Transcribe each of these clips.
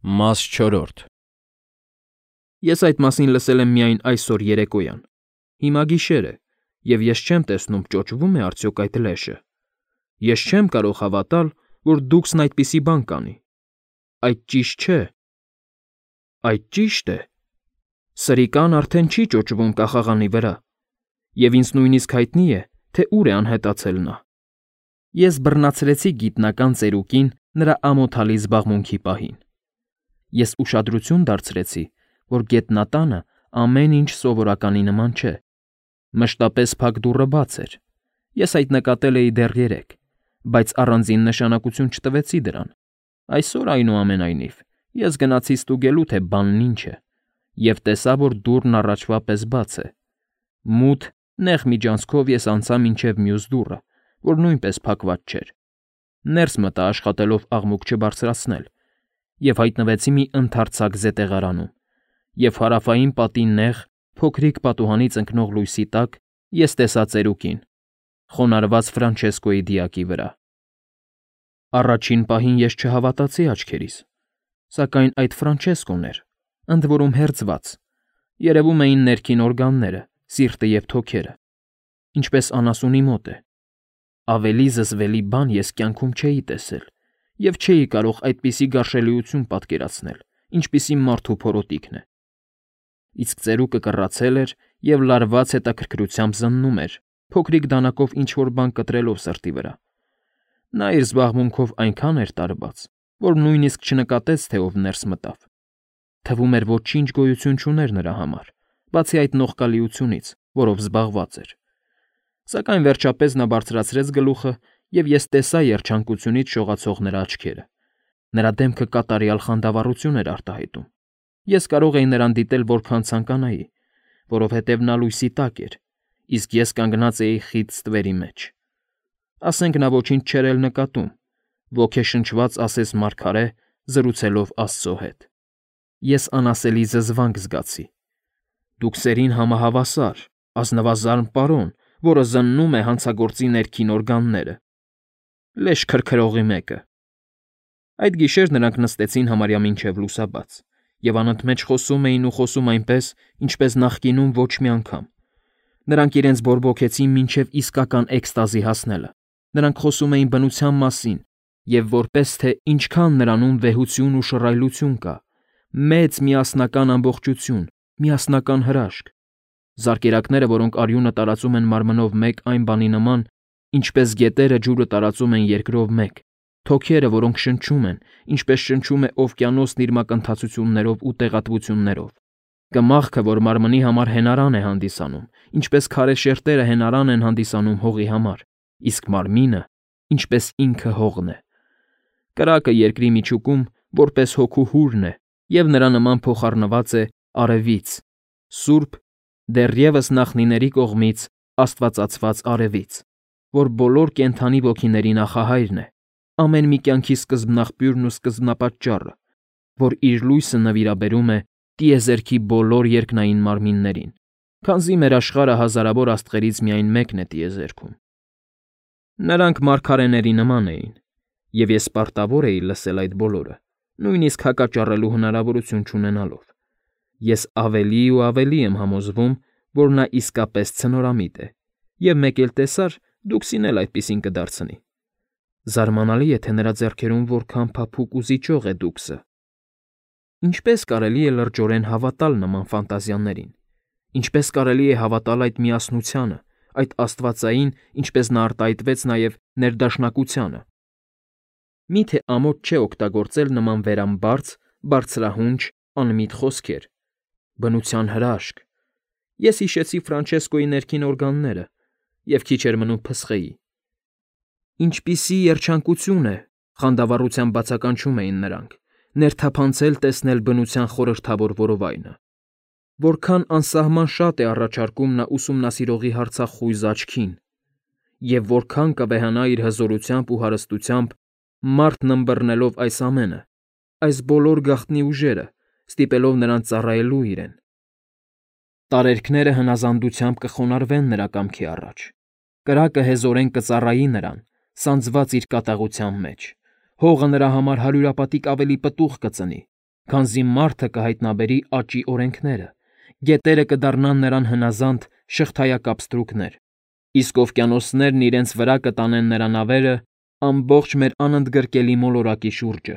Մաս 4 Ես այդ մասին լսել եմ միայն այսօր երեկոյան։ Հիմա գիշեր է, և ես չեմ տեսնում ճոճվում է արդյոք այդ լեշը։ Ես չեմ կարող հավատալ, որ Դուքսն այդպիսի բան կանի։ Այդ ճիշտ չէ։ Այդ ճիշտ է։ Սրիկան արդեն չի ճոճվում կախաղանի վրա, և ինձ նույնիսկ հայտնի է, թե ուր է անհետացել նա։ Ես բռնացրեցի գիտնական ծերուկին նրա ամոթալի զբաղմունքի պահին։ Ես ուշադրություն դարձրեցի, որ գետնատանը ամեն ինչ սովորականի նման չէ։ Մշտապես փակ դուռը բաց էր։ Ես այդ նկատել էի դեռ երեկ, բայց առանձին նշանակություն չտվեցի դրան։ Այսօր, այնուամենայնիվ, ես գնացի ստուգելու, թե բանն ինչ է, և տեսա, որ դուռն առաջվա պես բաց է։ Մութ, նեղ միջանցքով ես անցա մինչև մյուս դուռը, որ նույնպես փակված չէր։ Ներս մտա աշխատելով աղմուկ չբարձրացնել, և հայտնվեցի մի ընդարձակ զետեղարանում, և հարավային պատի նեղ, փոքրիկ պատուհանից ընկնող լույսի տակ ես տեսա ծերուկին, խոնարհված Ֆրանչեսկոյի դիակի վրա։ Առաջին պահին ես չհավատացի աչքերիս, սակայն այդ Ֆրանչեսկոն էր, ընդ որում հերձված, երևում էին ներքին օրգանները, սիրտը և թոքերը, ինչպես անասունի մոտ է։ Ավելի զզվելի բան ես կյանքում չէի տեսել և չէի կարող այդպիսի գարշելիություն պատկերացնել, ինչպիսի մարդու փորոտիքն է։ Իսկ ծերուկը կռացել էր և լարված հետաքրքրությամբ զննում էր, փոքրիկ դանակով ինչ֊որ բան կտրելով սրտի վրա։ Նա իր զբաղմունքով այնքան էր տարված, որ նույնիսկ չնկատեց, թե ով ներս մտավ։ Թվում էր ոչինչ գոյություն չուներ նրա համար, բացի այդ նողկալիությունից, որով զբաղված էր։ Սակայն վերջապես նա բարձրացրեց գլուխը, և ես տեսա երջանկությունից շողացող նրա աչքերը։ Նրա դեմքը կատարյալ խանդավառություն էր արտահայտում։ Ես կարող էի նրան դիտել որքան ցանկանայի, որովհետև նա լույսի տակ էր, իսկ ես կանգնած էի խիտ ստվերի մեջ։ Ասենք նա ոչինչ չէր էլ նկատում, ոգեշնչված ասես մարգարե, զրուցելով Աստծո հետ։ Ես անասելի զզվանք զգացի։ Դուքսերին համահավասար, ազնվազարմ պարոն, որը զննում է հանցագործի ներքին օրգանները։ Լեշ քրքրողի մեկը։ Այդ գիշեր նրանք նստեցին համարյա մինչև լուսաբաց, և անընդմեջ խոսում էին ու խոսում այնպես, ինչպես նախկինում ոչ մի անգամ։ Նրանք իրենց բորբոքեցին մինչև իսկական էքստազի հասնելը։ Նրանք խոսում էին բնության մասին, և որպես թե ինչքան նրանում վեհություն ու շռայլություն կա, մեծ միասնական ամբողջություն, միասնական հրաշք։ Զարկերակները, որոնք արյունը տարածում են մարմնով մեկ այն բանի նման, ինչպես գետերը ջուրը տարածում են երկրով մեկ, թոքերը, որոնք շնչում են, ինչպես շնչում է օվկիանոսն իր մակընթացություններով ու տեղատվություններով, կմախքը, որ մարմնի համար հենարան է հանդիսանում, ինչպես քարե շերտերը հենարան են հանդիսանում հողի համար, իսկ մարմինը, ինչպես ինքը հողն է։ Կրակը երկրի միջուկում որպես հոգու հուրն է, և նրա նման փոխառնված է արևից, սուրբ, դեռևս նախնիների կողմից աստվածացված արևից, որ բոլոր կենդանի ոգիների նախահայրն է, ամեն մի կյանքի սկզբնաղբյուրն ու սկզբնապատճառը, որ իր լույսը նվիրաբերում է տիեզերքի բոլոր երկնային մարմիններին, քանզի մեր աշխարհը հազարավոր աստղերից միայն մեկն է տիեզերքում։ Նրանք մարգարեների նման էին, և ես պարտավոր էի լսել այդ բոլորը, նույնիսկ հակաճառելու հնարավորություն չունենալով։ Ես ավելի ու ավելի եմ համոզվում, որ նա իսկապես ցնորամիտ է, և մեկ էլ տեսար, Դուքսին էլ այդպիսին կդարձնի։ Զարմանալի է, թե նրա ձեռքերում որքան փափուկ ու զիջող է Դուքսը։ Ինչպես կարելի է լրջորեն հավատալ նման ֆանտազիաներին։ Ինչպես կարելի է հավատալ այդ միասնությանը, այդ աստվածային, ինչպես նա արտահայտվեց նաև ներդաշնակությանը։ Մի՞թե ամոթ չէ օգտագործել նման վերամբարձ, բարձրահունչ, անմիտ խոսքեր։ Բնության հրաշք։ Ես հիշեցի Ֆրանչեսկոյի ներքին օրգանները և քիչ էր մնում փսխեի։ Ինչպիսի երջանկություն է, խանդավառությամբ բացականչում էին նրանք, ներթափանցել տեսնել բնության խորհրդավոր որովայնը։ Որքան անսահման շատ է առաջարկում նա ուսումնասիրողի հարցախույզ աչքին, և որքան կվեհանա իր հզորությամբ ու հարստությամբ, մարդն ըմբռնելով այս ամենը, այս բոլոր գաղտնի ուժերը, ստիպելով նրան ծառայելու իրեն։ Տարերքները հնազանդությամբ կխոնարհվեն նրա կամքի առաջ։ Կրակը հեզորեն կծառայի նրան, սանձված իր կատաղության մեջ։ Հողը նրա համար հարյուրապատիկ ավելի պտուղ կծնի, քանզի մարդը կհայտնաբերի աճի օրենքները, գետերը կդառնան նրան հնազանդ շղթայակապ ստրուկներ, իսկ օվկիանոսներն իրենց վրա կտանեն նրա նավերը ամբողջ մեր անընդգրկելի մոլորակի շուրջը,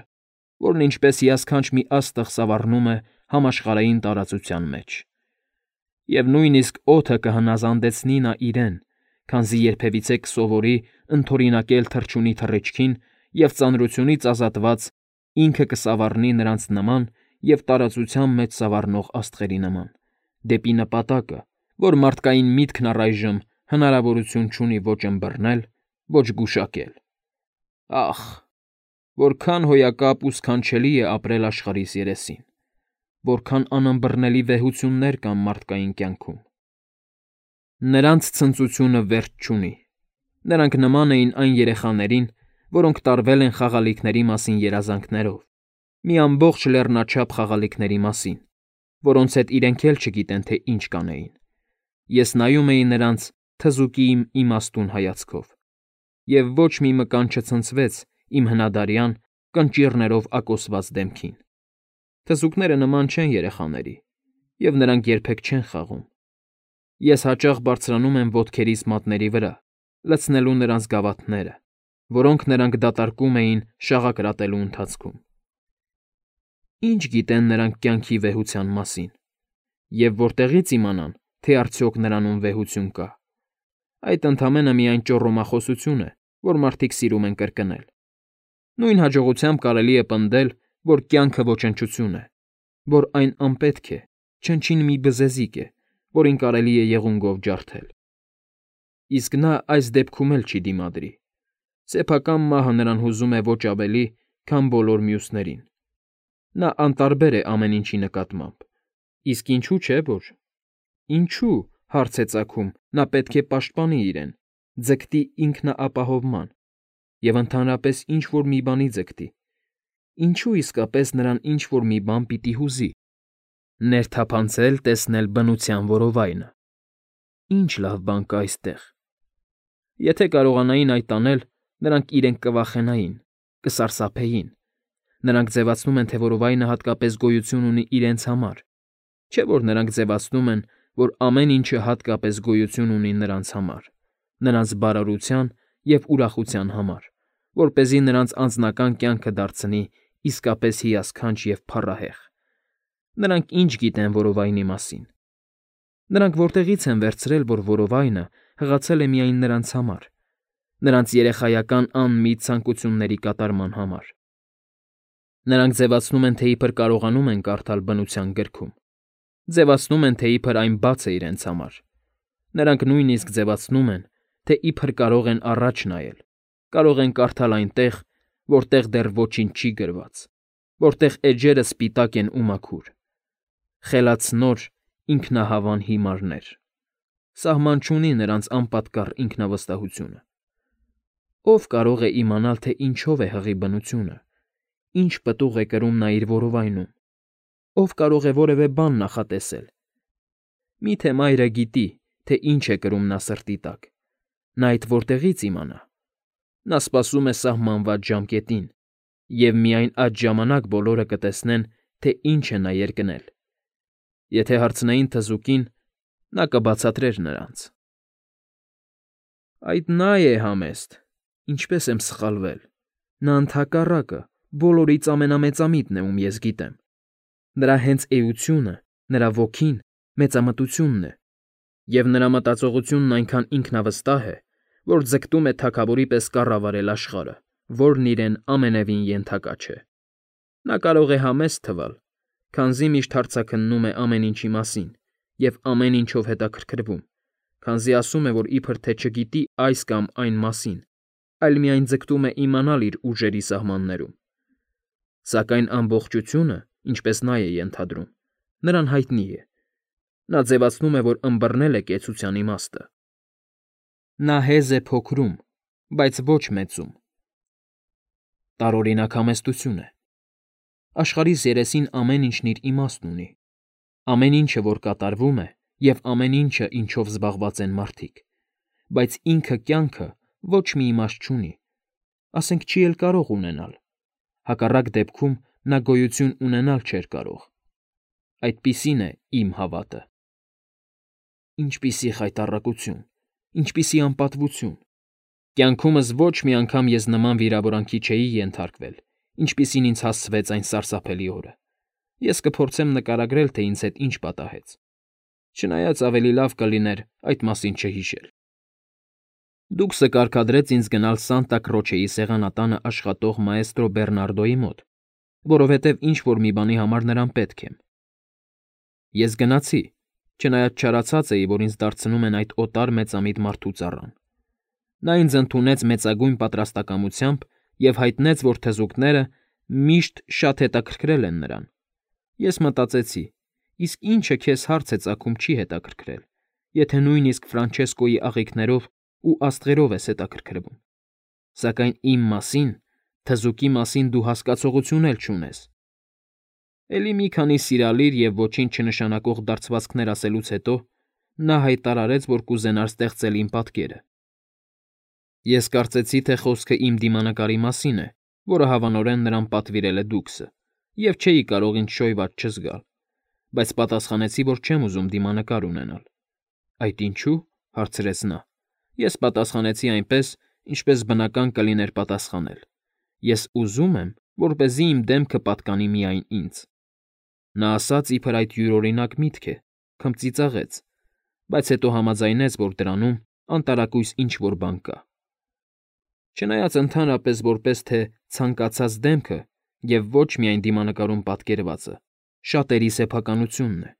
որն ինչպես հիասքանչ մի աստղ սավառնում է համաշխարհային տարածության մեջ։ Եվ նույնիսկ օդը կհնազանդեցնի նա իրեն, քանզի երբևիցե կսովորի ընդօրինակել թռչունի թռիչքին և ծանրությունից ազատված ինքը կսավառնի նրանց նման և տարածության մեջ սավառնող աստղերի նման, դեպի նպատակը, որ մարդկային միտքն առայժմ հնարավորություն չունի ոչ ըմբռնել, ոչ գուշակել։ Ախ, որքան հոյակապ ու սքանչելի է ապրել աշխարհիս երեսին, որքան անըմբռնելի վեհություններ կան մարդկային կյանքում։ Նրանց ցնծությունը վերջ չունի։ Նրանք նման էին այն երեխաներին, որոնք տարվել են խաղալիքների մասին երազանքներով, մի ամբողջ լեռնաչափ խաղալիքների մասին, որոնց հետ իրենք էլ չգիտեն, թե ինչ կանեին։ Ես նայում էի նրանց թզուկի իմ իմաստուն հայացքով, և ոչ մի մկան չցնցվեց իմ հնադարյան կնճիռներով ակոսված դեմքին։ Թզուկները նման չեն երեխաների, և նրանք երբեք չեն խաղում։ Ես հաճախ բարձրանում եմ ոտքերիս մատների վրա, լցնելու նրանց գավաթները, որոնք նրանք դատարկում էին շաղակրատելու ընթացքում։ Ինչ գիտեն նրանք կյանքի վեհության մասին, և որտեղի՞ց իմանան, թե արդյոք նրանում վեհություն կա։ Այդ ընդամենը միայն ճոռոմախոսություն է, որ մարդիկ սիրում են կրկնել։ Նույն հաջողությամբ կարելի է պնդել, որ կյանքը ոչնչություն է, որ այն անպետք է, չնչին մի բզեզիկ է, որին կարելի է եղունգով ջարդել։ Իսկ նա այս դեպքում էլ չի դիմադրի։ Սեփական մահը նրան հուզում է ոչ ավելի, քան բոլոր մյուսներին։ Նա անտարբեր է ամեն ինչի նկատմամբ։ Իսկ ինչու՞ չէ որ։ Ինչու՞, հարց է ծագում, նա պետք է պաշտպանի իրեն, ձգտի ինքնապահովման և ընդհանրապես ինչ֊որ մի բանի ձգտի։ Ինչու իսկապես նրան ինչ֊որ մի բան պիտի հուզի։ Ներթափանցել տեսնել բնության որովայնը։ Ինչ լավ բան կա այստեղ։ Եթե կարողանային այդ անել, նրանք իրենք կվախենային, կսարսափեին։ Նրանք ձևացնում են, թե որովայնը հատկապես գոյություն ունի իրենց համար, չէ՞ որ նրանք ձևացնում են, որ ամեն ինչը հատկապես գոյություն ունի նրանց համար, նրանց բարօրության և ուրախության համար, որպեսզի նրանց անձնական կյանքը դարձնի իսկապես հիասքանչ և փառահեղ։ Նրանք ինչ գիտեն որովայնի մասին։ Նրանք որտեղի՞ց են վերցրել, որ որովայնը հղացել է միայն նրանց համար, նրանց երեխայական անմիտ ցանկությունների կատարման համար։ Նրանք ձևացնում են, թե իբր կարողանում են կարդալ բնության գրքում, ձևացնում են, թե իբր այն բաց է իրենց համար։ Նրանք նույնիսկ ձևացնում են, թե իբր կարող են առաջ նայել, կարող են կարդալ այնտեղ, որտեղ դեռ ոչինչ չի գրված, որտեղ էջերը սպիտակ են ու մաքուր։ Խելացնոր, ինքնահավան հիմարներ։ Սահման չունի նրանց անպատկառ ինքնավստահությունը։ Ո՞վ կարող է իմանալ, թե ինչով է հղի բնությունը, ինչ պտուղ է կրում նա իր որովայնում, ով կարող է որևէ բան նախատեսել։ Միթե մայրը գիտի, թե ինչ է կրում նա սրտի տակ, նա այդ որտեղի՞ց իմանա։ Նա սպասում է սահմանված ժամկետին, և միայն այդ ժամանակ բոլորը կտեսնեն, թե ինչ է նա երկնել։ Եթե հարցնեին թզուկին, նա կբացատրեր նրանց։ Այդ նա է համեստ, ինչպես եմ սխալվել։ Նա ընդհակառակը, բոլորից ամենամեծամիտն է, ում ես գիտեմ։ Նրա հենց էությունը, նրա ոգին մեծամտությունն է, և նրա մտածողությունն այնքան ինքնավստահ է, որ ձգտում է թագավորի պես կառավարել աշխարհը, որն իրեն ամենևին ենթակա չէ։ Նա կարող է համեստ թվալ, քանզի միշտ հարցաքննում է ամեն ինչի մասին և ամեն ինչով հետաքրքրվում, քանզի ասում է, որ իբր թե չգիտի այս կամ այն մասին, այլ միայն ձգտում է իմանալ իր ուժերի սահմաններում։ Սակայն ամբողջությունը, ինչպես նա է ենթադրում, նրան հայտնի է։ Նա ձևացնում է, որ ըմբռնել է կեցության իմաստը։ Նա հեզ է փոքրում, բայց ոչ մեծում։ Տարօրինակ համեստություն է։ Աշխարհիս երեսին ամեն ինչն իր իմաստն ունի։ Ամեն ինչը, որ կատարվում է, և ամեն ինչը, ինչով զբաղված են մարդիկ, բայց ինքը կյանքը ոչ մի իմաստ չունի, ասենք չի էլ կարող ունենալ։ Հակառակ դեպքում նա գոյություն ունենալ չէր կարող։ Այդպիսին է իմ հավատը։ Ինչպիսի խայտառակություն, ինչպիսի անպատվություն։ Կյանքումս ոչ մի անգամ ես նման վիրավորանքի չէի ենթարկվել, ինչպիսին ինձ հասցվեց այն սարսափելի օրը։ Ես կփորձեմ նկարագրել, թե ինձ հետ ինչ պատահեց, չնայած ավելի լավ կլիներ այդ մասին չհիշել։ Դուքսը կարգադրեց ինձ գնալ Սանտա Քրոչեի սեղանատանը աշխատող մաեստրո Բեռնարդոյի մոտ, որովհետև ինչ-որ մի բանի համար նրան պետք եմ։ Ես գնացի, չնայած չարացած էի, որ ինձ դարձնում են այդ օտար մեծամիտ մարդու ծառան։ Նա ինձ ընդունեց մեծագույն պատրաստակամությամբ և հայտնեց, որ թզուկները միշտ շատ հետաքրքրել են նրան։ Ես մտածեցի, իսկ ինչը քեզ հարց է ծագում չի հետաքրքրել, եթե նույնիսկ Ֆրանչեսկոյի աղիքներով ու աստղերով ես հետաքրքրվում։ Սակայն իմ մասին, թզուկի մասին դու հասկացողություն էլ չունես։ Էլի մի քանի սիրալիր և ոչինչ չնշանակող դարձվածքներ ասելուց հետո նա հայտարարեց, որ կուզենար ստեղծել իմ պատկերը։ Ես կարծեցի, թե խոսքը իմ դիմանկարի մասին է, որը հավանորեն նրան պատվիրել է Դուքսը, և չէի կարող ինձ շոյված չզգալ, բայց պատասխանեցի, որ չեմ ուզում դիմանկար ունենալ։ Այդ ինչու՞, հարցրեց նա։ Ես պատասխանեցի այնպես, ինչպես բնական կլիներ պատասխանել։ Ես ուզում եմ, որպեսզի իմ դեմքը պատկանի միայն ինձ։ Նա ասաց, իբր այդ յուրօրինակ միտք է, քմծիծաղեց, բայց հետո համաձայնեց, որ դրանում անտարակույս ինչ֊որ բան կա։ Չնայած ընդհանրապես որպես թե ցանկացած դեմքը և ոչ միայն դիմանկարում պատկերվածը շատերի սեփականությունն է,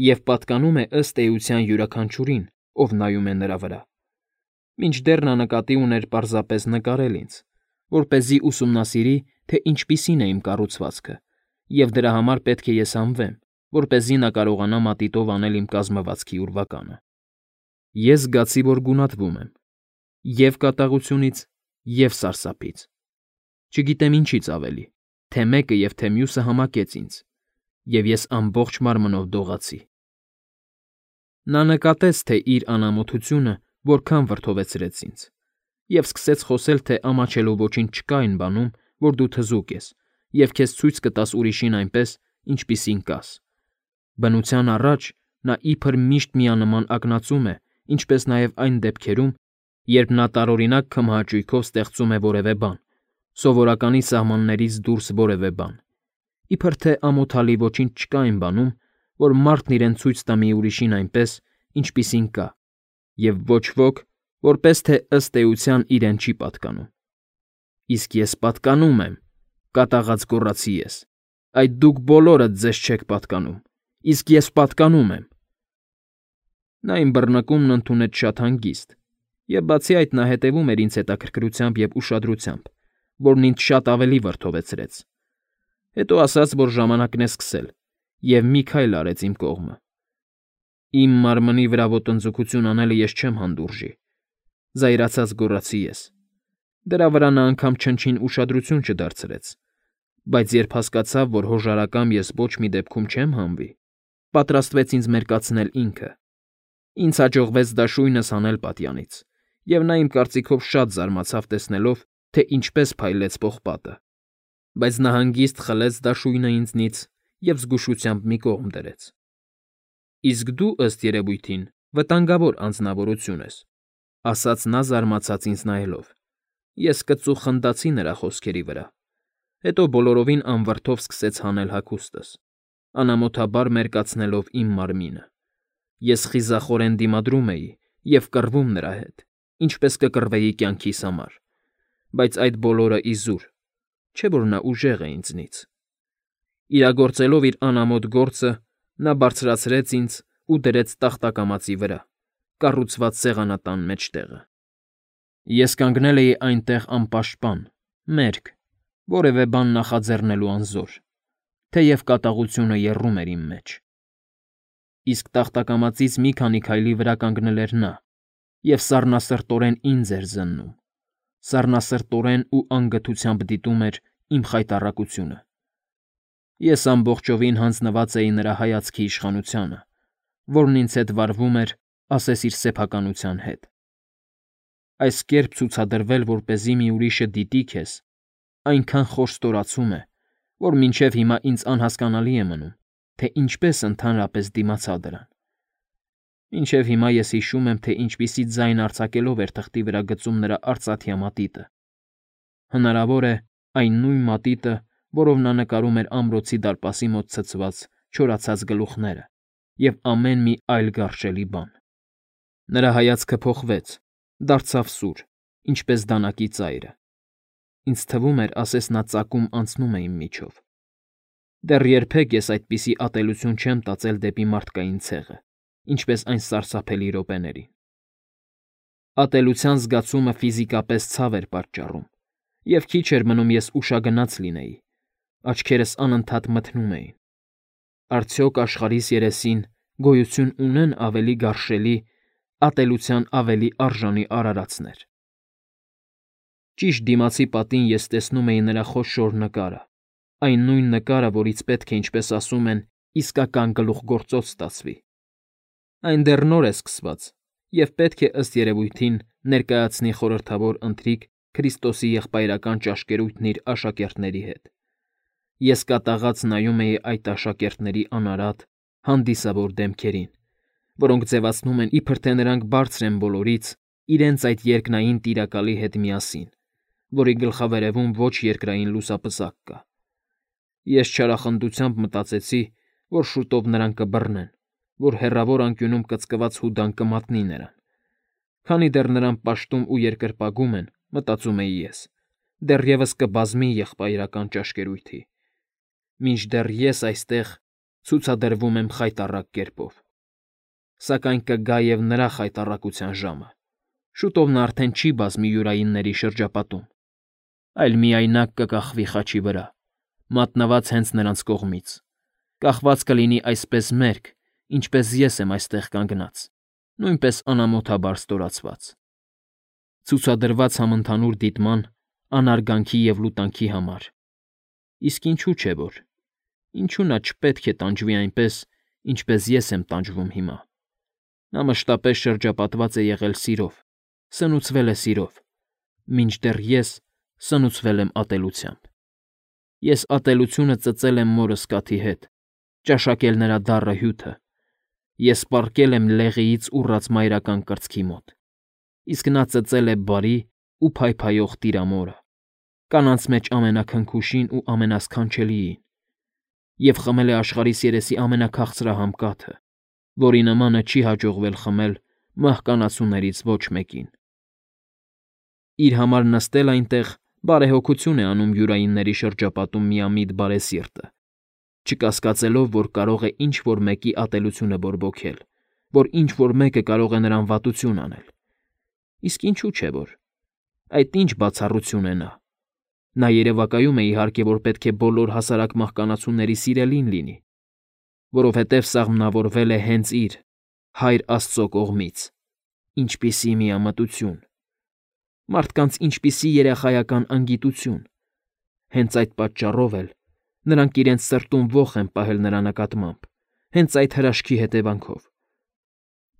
և պատկանում է ըստ էության յուրաքանչյուրին, ով նայում է նրա վրա։ Մինչդեռ նա նկատի ուներ պարզապես նկարել ինձ, որպեսզի ուսումնասիրի, թե ինչպիսին է իմ կառուցվածքը, և դրա համար պետք է ես հանվեմ, որպեսզի նա կարողանա մատիտով անել իմ կազմվածքի ուրվականը։ Ես զգացի, որ գունատվում եմ և կատաղությունից, և սարսափից։ Չգիտեմ ինչից ավելի, թե մեկը և թե մյուսը համակեց ինձ, և ես ամբողջ մարմնով դողացի։ Նա նկատեց, թե իր անամոթությունը որքան վրդովեցրեց ինձ, և սկսեց խոսել, թե ամաչելու ոչինչ չկա այն բանում, որ դու թզուկ ես, և քեզ ցույց կտաս ուրիշին այնպես, ինչպիսին կաս։ Բնության առաջ նա իբր միշտ միանման ակնածում է, ինչպես նաև այն դեպքերում, երբ նա տարօրինակ քմահաճույքով ստեղծում է որևէ բան, սովորականի սահմաններից դուրս որևէ բան, իբր թե ամոթալի ոչինչ չկա այն բանում, որ մարդն իրեն ցույց տա մի ուրիշին այնպես, ինչպիսին կա, և ոչ ոք, որպես թե ըստ էության իրեն չի պատկանում։ Իսկ ես պատկանում եմ, կատաղած գոռացի ես, այդ դուք բոլորդ ձեզ չեք պատկանում, իսկ ես պատկանում եմ։ Նա իմ բռնկումն ընդունեց շատ հանգիստ, և բացի այդ նա հետևում էր ինձ հետաքրքրությամբ և ուշադրությամբ, որն ինձ շատ ավելի վրդովեցրեց։ Հետո ասաց, որ ժամանակն է սկսել, և մի քայլ արեց իմ կողմը։ Իմ մարմնի վրա ոտնձգություն անելը ես չեմ հանդուրժի, զայրացած գոռացի ես։ Դրա վրա նա անգամ չնչին ուշադրություն չդարձրեց, բայց երբ հասկացավ, որ հոժարակամ ես ոչ մի դեպքում չեմ հանվի, պատրաստվեց ինձ մերկացնել ինքը։ Ինձ հաջողվեց դաշույնս հանել պատյանից, և նա իմ կարծիքով շատ զարմացավ տեսնելով, թե ինչպես փայլեց պողպատը, բայց նա հանգիստ խլեց դաշույնը ինձնից և զգուշությամբ մի կողմ դրեց։ Իսկ դու, ըստ երևույթին, վտանգավոր անձնավորություն ես, ասաց նա զարմացած ինձ նայելով։ Ես կծու խնդացի նրա խոսքերի վրա, հետո բոլորովին անվրդով սկսեց հանել հագուստս, անամոթաբար մերկացնելով իմ մարմինը։ Ես խիզախորեն դիմադրում էի և կռվում նրա հետ, ինչպես կկռվեի կյանքիս համար, բայց այդ բոլորը իզուր, չէ՞ որ նա ուժեղ է ինձնից։ Իրագործելով իր անամոթ գործը, նա բարձրացրեց ինձ ու դրեց տախտակամածի վրա, կառուցված սեղանատան մեջտեղը։ Ես կանգնել էի այնտեղ անպաշտպան, մերկ, որևէ բան նախաձեռնելու անզոր, թեև կատաղությունը եռում էր իմ մեջ։ Իսկ տախտակամածից մի քանի քայլի վրա կանգնել էր նա և սառնասրտորեն ինձ էր զննում, սառնասրտորեն ու անգթությամբ դիտում էր իմ խայտառակությունը։ Ես ամբողջովին հանձնված էի նրա հայացքի իշխանությանը, որն ինձ հետ վարվում էր, ասես իր սեփականության հետ։ Այս կերպ ցուցադրվել, որպեսզի մի ուրիշը դիտի քեզ, այնքան խոր ստորացում է, որ մինչև հիմա ինձ անհասկանալի է մնում, թե ինչպես ընդհանրապես դիմացա դրան։ Մինչև հիմա ես հիշում եմ, թե ինչպիսի ձայն արձակելով էր թղթի վրա գծում նրա արծաթյա մատիտը։ Հնարավոր է, այն նույն մատիտը, որով նա նկարում էր ամրոցի դարպասի մոտ ցցված չորացած գլուխները և ամեն մի այլ գարշելի բան։ Նրա հայացքը փոխվեց, դարձավ սուր, ինչպես դանակի ծայրը։ Ինձ թվում էր, ասես նա ծակում անցնում է իմ միջով։ Դեռ երբեք ես այդպիսի ատելություն չեմ տածել դեպի մարդկային ցեղը, ինչպես այն սարսափելի րոպեներին։ Ատելության զգացումը ֆիզիկապես ցավ էր պատճառում, և քիչ էր մնում ես ուշագնաց լինեի, աչքերս անընդհատ մթնում էին։ Արդյոք աշխարհիս երեսին գոյություն ունեն ավելի գարշելի, ատելության ավելի արժանի արարածներ։ Ճիշտ դիմացի պատին ես տեսնում էի նրա խոշոր նկարը, այն նույն նկարը, որից պետք է, ինչպես ասում են, իսկական գլուխգործոց ստացվի։ Այն դեռ նոր է սկսված և պետք է ըստ երևույթին ներկայացնի խորհրդավոր ընթրիք Քրիստոսի եղբայրական ճաշկերույթն իր աշակերտների հետ։ Ես կատաղած նայում էի այդ աշակերտների անարատ, հանդիսավոր դեմքերին, որոնք ձևացնում են, իբր թե նրանք բարձր են բոլորից, իրենց այդ երկնային Տիրակալի հետ միասին, որի գլխավերևում ոչ երկրային լուսապսակ կա։ Ես չարախնդությամբ մտածեցի, որ շուտով նրան կբռնեն, որ հեռավոր անկյունում կծկված Հուդան կմատնի նրան։ Քանի դեռ նրան պաշտում ու երկրպագում են, մտածում էի ես, դեռևս կբազմի եղբայրական ճաշկերույթի։ Մինչդեռ ես այստեղ ցուցադրվում եմ խայտառակ կերպով։ Սակայն կգա և նրա խայտառակության ժամը։ Շուտով նա արդեն չի բազմի յուրայինների շրջապատում, այլ միայնակ կկախվի խաչի վրա, մատնված հենց նրանց կողմից, կախված կլինի այսպես մերկ, ինչպես ես եմ այստեղ կանգնած, նույնպես անամոթաբար ստորացված, ցուցադրված համընդհանուր դիտման, անարգանքի և լուտանքի համար։ Իսկ ինչու՞ չէ որ։ Ինչու նա չպետք է տանջվի այնպես, ինչպես ես եմ տանջվում հիմա։ Նա մշտապես շրջապատված է եղել սիրով, սնուցվել է սիրով, մինչդեռ ես սնուցվել եմ ատելությամբ։ Ես ատելությունը ծծել եմ մորս կաթի հետ, ճաշակել նրա դառը հյութը։ Ես պառկել եմ լեղիից ուռած մայրական կրծքի մոտ, իսկ նա ծծել է բարի ու փայփայող տիրամորը, կանանց մեջ ամենաքնքուշին ու ամենասքանչելիին, և խմել է աշխարհիս երեսի ամենաքաղցրահամ կաթը, որի նմանը չի հաջողվել խմել մահկանացուներից ոչ մեկին։ Իր համար նստել այնտեղ բարեհոգություն է անում յուրայինների շրջապատում միամիտ բարեսիրտը, չկասկածելով, որ կարող է ինչ֊որ մեկի ատելությունը բորբոքել, որ ինչ֊որ մեկը կարող է նրան վատություն անել։ Իսկ ինչու՞ չէ որ։ Այդ ինչ բացառություն է նա։ Նա երևակայում է, իհարկե, որ պետք է բոլոր հասարակ մահկանացուների սիրելին լինի, որովհետև սաղմնավորվել է հենց իր, Հայր Աստծո կողմից։ Ինչպիսի միամտություն։ Մարդկանց ինչպիսի երախայական անգիտություն։ Հենց այդ պատճառով էլ նրանք իրենց սրտում ոխ են պահել նրա նկատմամբ, հենց այդ հրաշքի հետևանքով։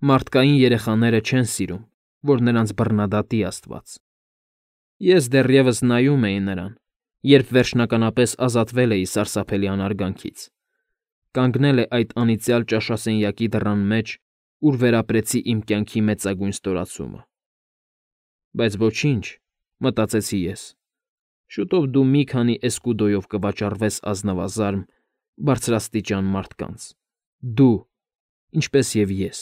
Մարդկային երեխաները չեն սիրում, որ նրանց բռնադատի Աստված։ Ես դեռևս նայում էի նրան, երբ վերջնականապես ազատվել էի սարսափելի անարգանքից։ Կանգնել է այդ անիծյալ ճաշասենյակի դռան մեջ, ուր վերապրեցի իմ կյանքի մեծագույն ստորացումը։ Բայց ոչինչ, մտածեցի ես, շուտով դու մի քանի էսկուդոյով կվաճառվես ազնվազարմ, բարձրաստիճան մարդկանց։ Դու, ինչպես և ես։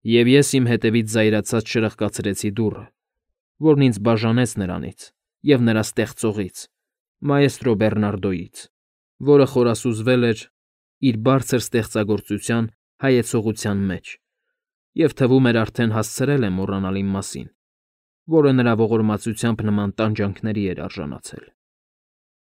Եվ ես իմ հետևից զայրացած շրխկացրեցի դուռը, որն ինձ բաժանեց նրանից և նրա ստեղծողից, մայեստրո Բեռնարդոյից, որը խորասուզվել էր իր բարձր ստեղծագործության հայեցողության մեջ և թվում էր արդեն հասցրել է մոռանալ իմ մասին, որը նրա ողորմածությամբ նման տանջանքների էր արժանացել։